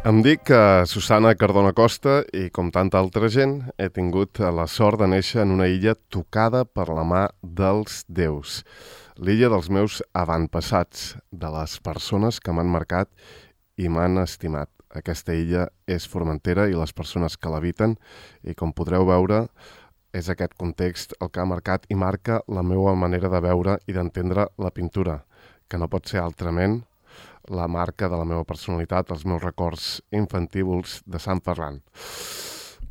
Em dic Susana Cardona Costa i, com tanta altra gent, he tingut la sort de néixer en una illa tocada per la mà dels déus. L'illa dels meus avantpassats, de les persones que m'han marcat i m'han estimat. Aquesta illa és Formentera i les persones que l'habiten, i com podreu veure, és aquest context el que ha marcat i marca la meva manera de veure i d'entendre la pintura, que no pot ser altrament la marca de la meva personalitat, els meus records infantívils de Sant Ferran.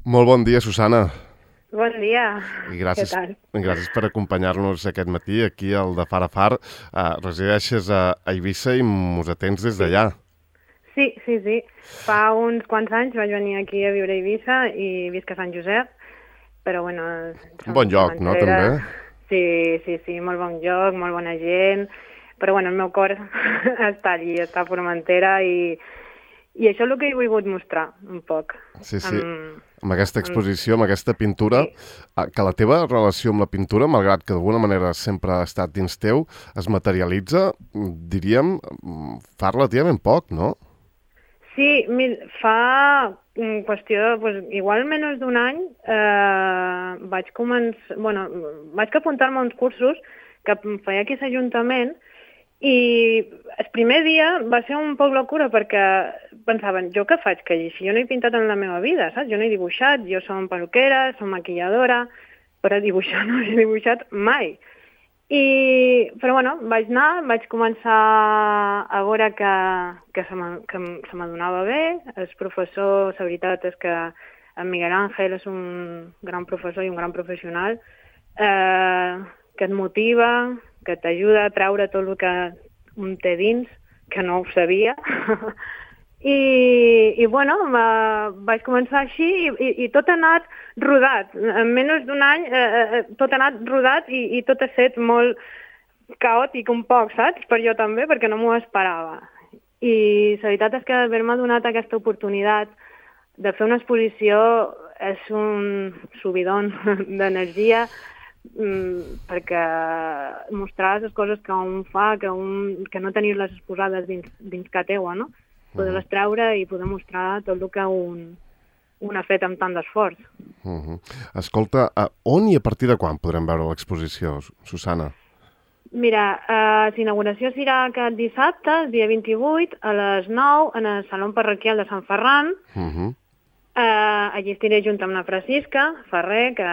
Molt bon dia, Susana. Bon dia. I gràcies, Què tal? gràcies per acompanyar-nos aquest matí aquí al de Far a Far. Resideixes a Eivissa i mos atens des d'allà. Sí. Fa uns quants anys vaig venir aquí a viure a Eivissa i visc a Sant Josep, però bueno... Un bon lloc, no, també? Sí, molt bon lloc, molt bona gent, però bueno, el meu cor està allí, està a Formentera i això és el que he volgut mostrar, un poc. Sí. Amb aquesta exposició, amb aquesta pintura, que la teva relació amb la pintura, malgrat que d'alguna manera sempre ha estat dins teu, es materialitza, diríem, fa relativament poc, no? Sí, fa qüestió, doncs, igual menys d'un any, vaig apuntar-me a uns cursos que feia aquí a l'Ajuntament, i el primer dia va ser un poc locura perquè pensaven, jo què faig? Que si jo no he pintat en la meva vida, saps? Jo no he dibuixat, jo som peluquera, som maquilladora, però dibuixar no he dibuixat mai. Però bueno, vaig anar, vaig començar a veure que se m'adonava bé. El professor, la veritat és que en Miguel Ángel és un gran professor i un gran professional, que et motiva, que t'ajuda a treure tot el que un té dins, que no ho sabia. I bueno, vaig començar així i tot ha anat rodat. En menys d'un any tot ha anat rodat i tot ha estat molt caòtic un poc, saps? Per jo també, perquè no m'ho esperava. I la veritat és que haver-me donat aquesta oportunitat de fer una exposició és un subidon d'energia, perquè mostrar les coses que un fa, que no tenir-les exposades dins que teua, no? Poder-les treure i poder mostrar tot el que un ha fet amb tant d'esforç. Escolta, on i a partir de quan podrem veure l'exposició, Susana? Mira, l'inauguració serà aquest dissabte, el dia 28, a les 9, en el Saló Parroquial de Sant Ferran. Allí estiré junt amb la Francisca Ferrer, que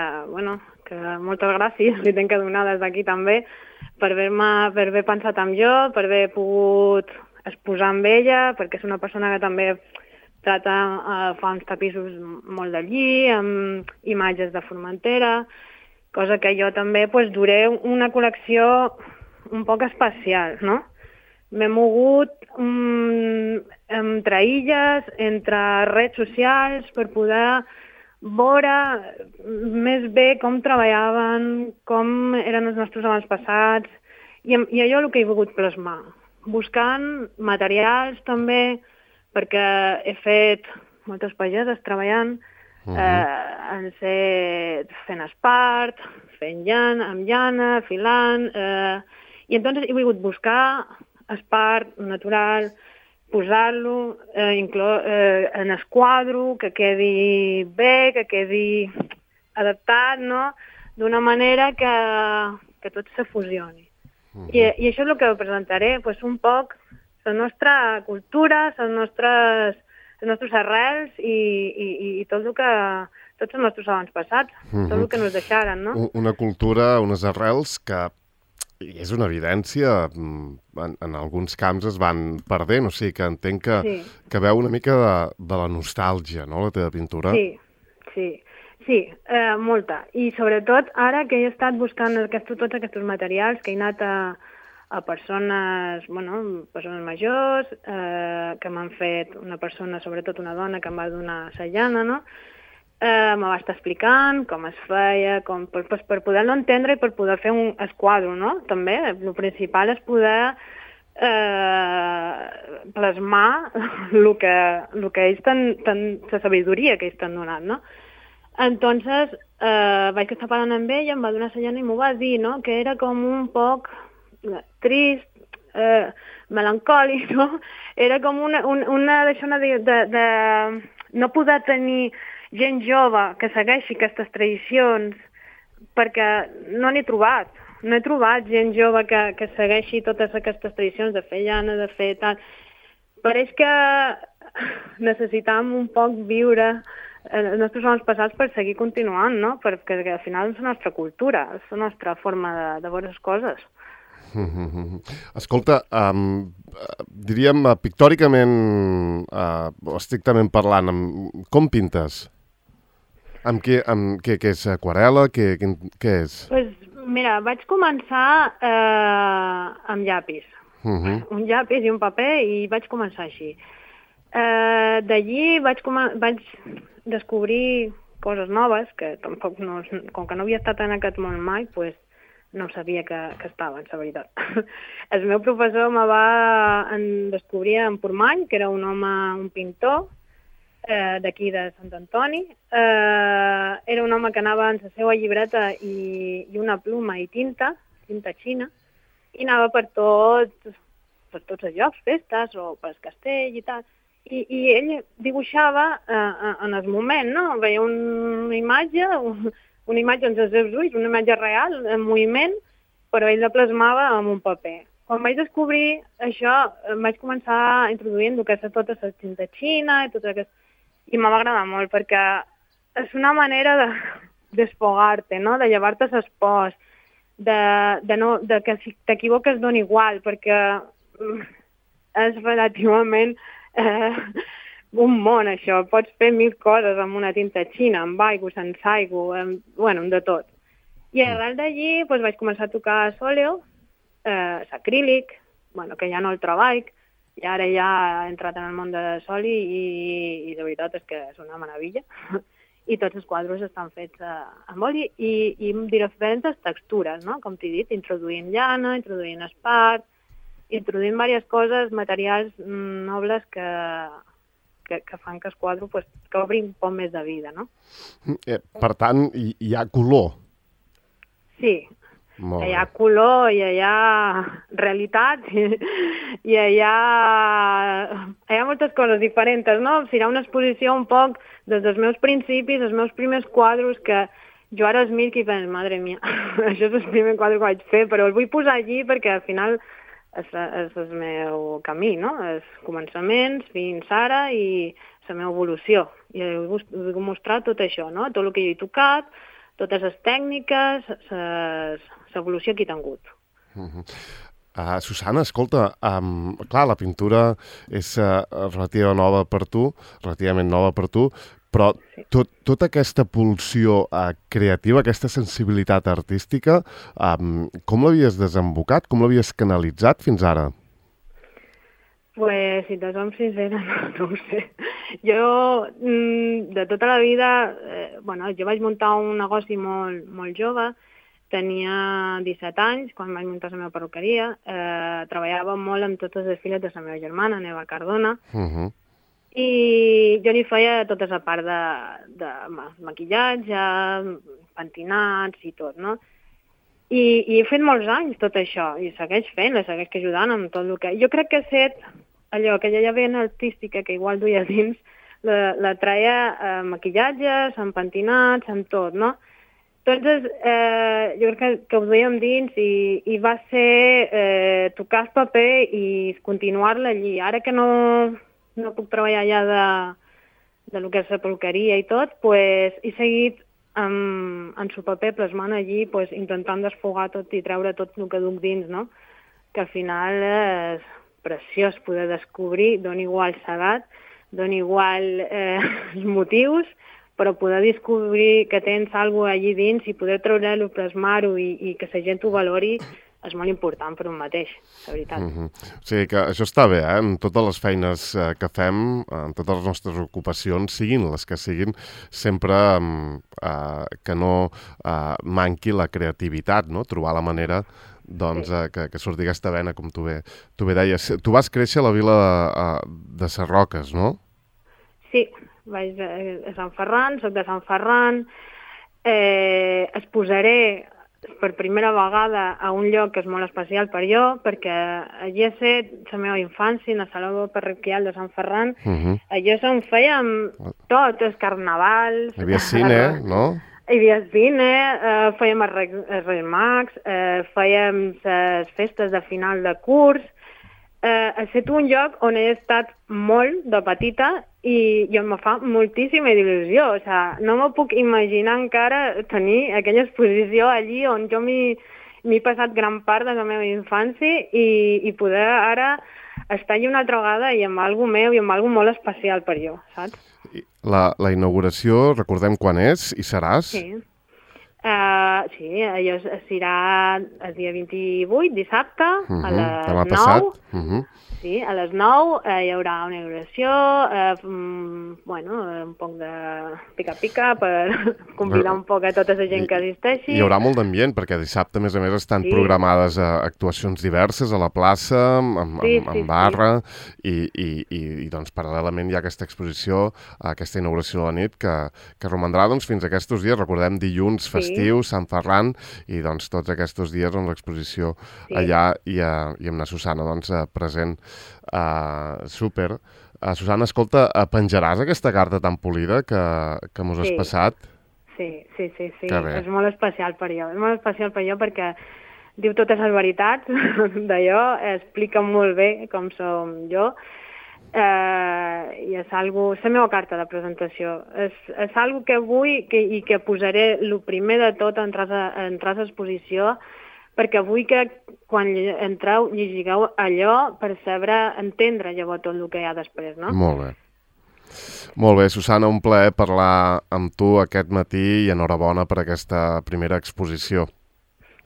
moltes gràcies li tenc que donar des d'aquí també per haver pensat en jo, per haver pogut exposar amb ella, perquè és una persona que també fa uns tapissos molt d'allí, amb imatges de Formentera, cosa que jo també duré una col·lecció un poc especial, no? M'he mogut entre illes, entre redes socials, per poder veure més bé com treballaven, com eren els nostres avantpassats, i allò el que he volgut plasmar. Buscant materials també, perquè he fet moltes pageses treballant, fent espart, fent llana, filant, i entonces he volgut buscar espart natural, posar-lo en el quadre, que quedi bé, que quedi adaptat, no? D'una manera que tot se fusioni. I això és el que presentaré, un poc la nostra cultura, les nostres arrels i tot el que... tots els nostres avantpassats, tot el que ens deixaren, no? Una cultura, unes arrels que és una evidència, en alguns camps es van perdent, o sigui que entenc que veu una mica de la nostàlgia, no?, la teva pintura. Sí, molta. I sobretot ara que he estat buscant tots aquests materials, que he anat a persones majors, que m'han fet una persona, sobretot una dona, que em va donar la llana, no? Me va estar explicant com es feia, per poder-lo entendre i per poder fer un quadre, no? També, el principal és poder plasmar el que ells la sabidoria que ells t'han donat, no? Entonces, vaig estar parlant amb ella, em va donar la llana i m'ho va dir, no? Que era com un poc trist, melancòlic, no? Era com una de no poder tenir gent jove que segueixi aquestes tradicions, perquè no n'he trobat. No he trobat gent jove que segueixi totes aquestes tradicions de fer llana, de fer tal. Pareix que necessitam un poc viure els nostres homes passats per seguir continuant, no? Perquè al final és la nostra cultura, és la nostra forma de veure les coses. Escolta, diríem pictòricament o estrictament parlant, com pintes? Què és aquarel·la? Què és? Pues, mira, vaig començar amb llapis. Un llapis i un paper i vaig començar així. D'allí vaig descobrir coses noves, que tampoc com que no havia estat en aquest món mai, pues, no sabia que estaven, la veritat. El meu professor me va descobrir en Portmany, que era un home, un pintor, d'aquí de Sant Antoni. Era un home que anava amb la seva llibreta i una pluma i tinta xina, i anava per tots els llocs, festes o per el castell i tal. I ell dibuixava en el moment, no? Veia una imatge amb els seus ulls, una imatge real, en moviment, però ell la plasmava en un paper. Quan vaig descobrir això, vaig començar a introduir tota la tinta xina i me va agradar molt, perquè és una manera de desfogar-te, no? De llevar-te les pors, de que si t'equivoques dona igual, perquè és relativament un món, això. Pots fer 1000 coses amb una tinta xina, amb aigua, sense aigua, de tot. I arrel d'allí vaig començar a tocar sòleo, l'acrílic, que ja no el treballo, i ara ja he entrat en el món de soli i de veritat és que és una meravella. I tots els quadres estan fets amb oli i amb diferents textures, no? Com t'he dit, introduint llana, introduint espart, introduint diverses coses, materials nobles que fan que el quadre que obri un poc més de vida, no? Per tant, hi ha color. Sí, hi ha color, hi ha realitat, hi ha moltes coses diferents, no? Serà una exposició un poc des dels meus principis, els meus primers quadres, que jo ara els miro i penso, madre mia, això és el primer quadre que vaig fer, però el vull posar allí perquè al final és el meu camí, no? Els començaments fins ara i la meva evolució. I vull mostrar tot això, no? Tot el que jo he tocat, totes les tècniques, l'evolució que he tingut. Susana, escolta, clar, la pintura és relativament nova per tu, però tota aquesta pulsió creativa, aquesta sensibilitat artística, com l'havies desembocat, com l'havies canalitzat fins ara? Pues, si te som sincera, no ho sé. Jo, de tota la vida, jo vaig muntar un negoci molt jove, tenia 17 anys quan vaig muntar la meva perruqueria, treballava molt amb totes les filles de la meva germana, Neva Cardona, i jo li feia tota la part de maquillatge, pentinats i tot, no? I he fet molts anys tot això, i segueix fent, segueix ajudant amb tot el que... Jo crec que he set allò, aquella vena artística que igual duia dins, la traia maquillatges, amb pentinats, amb tot, no? Entonces, jo crec que ho duíem dins i va ser tocar el paper i continuar-la allí. Ara que no puc treballar allà de lo que és la perruqueria i tot, pues, he seguit en el paper plasmant allí, pues, intentant desfogar tot i treure tot el que duc dins, no? Que al final és preciós poder descobrir, dona igual l'edat, dona igual els motius, però poder descobrir que tens alguna cosa allí dins i poder treure-ho, plasmar-ho i que la gent ho valori és molt important per un mateix, la veritat. O sigui que això està bé, en totes les feines que fem, en totes les nostres ocupacions, siguin les que siguin, sempre que no manqui la creativitat, no? Trobar la manera que surti aquesta vena, com tu bé deies. Tu vas créixer a la vila de Sarroques, no? Sí, vaig a Sant Ferran, soc de Sant Ferran, exposaré per primera vegada a un lloc que és molt especial per jo, perquè allí he set la meva infància, a la Saló Parroquial de Sant Ferran. Allò on fèiem tot, els carnavals... Hi havia cine, no? Hi havia cine, fèiem els Reis Mags, fèiem les festes de final de curs. Ha estat un lloc on he estat molt de petita i em fa moltíssima il·lusió. O sigui, no m'ho puc imaginar encara tenir aquella exposició allí on jo m'he passat gran part de la meva infància i poder ara estar allà una altra vegada i amb algo meu i amb algo molt especial per jo, saps? La inauguració, recordem quan és i seràs? Sí. Sí, allò serà el dia 28, dissabte, a les 9. Passat. Sí, a les 9 hi haurà una inauguració, un poc de pica-pica per convidar un poc a tota la gent que assisteixi. Hi haurà molt d'ambient, perquè dissabte, a més, estan programades actuacions diverses a la plaça, amb barra, i doncs, paral·lelament hi ha aquesta exposició, aquesta inauguració de la nit, que romandrà doncs, fins a aquests dies, recordem, dilluns festiu, Sant Ferran, i doncs tots aquests dies l'exposició allà i amb la Susana present. Súper. Susana, escolta, penjaràs aquesta carta tan polida que mos has passat? Sí. És molt especial per jo. És molt especial per jo perquè diu totes les veritats d'allò, explica molt bé com som jo, i és la meva carta de presentació. És algo que vull i que posaré el primer de tot en entrar a l'exposició, perquè vull que quan entreu llegigueu allò per saber entendre llavors tot el que hi ha després, no? Molt bé. Molt bé, Susana, un plaer parlar amb tu aquest matí i enhorabona per aquesta primera exposició.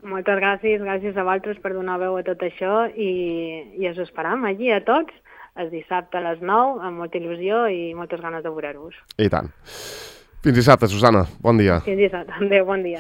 Moltes gràcies a vosaltres per donar veu a tot això i us esperam allí a tots el dissabte a les 9 amb molta il·lusió i moltes ganes de veure-vos. I tant. Fins dissabte, Susana. Bon dia. Fins dissabte. Adéu, bon dia.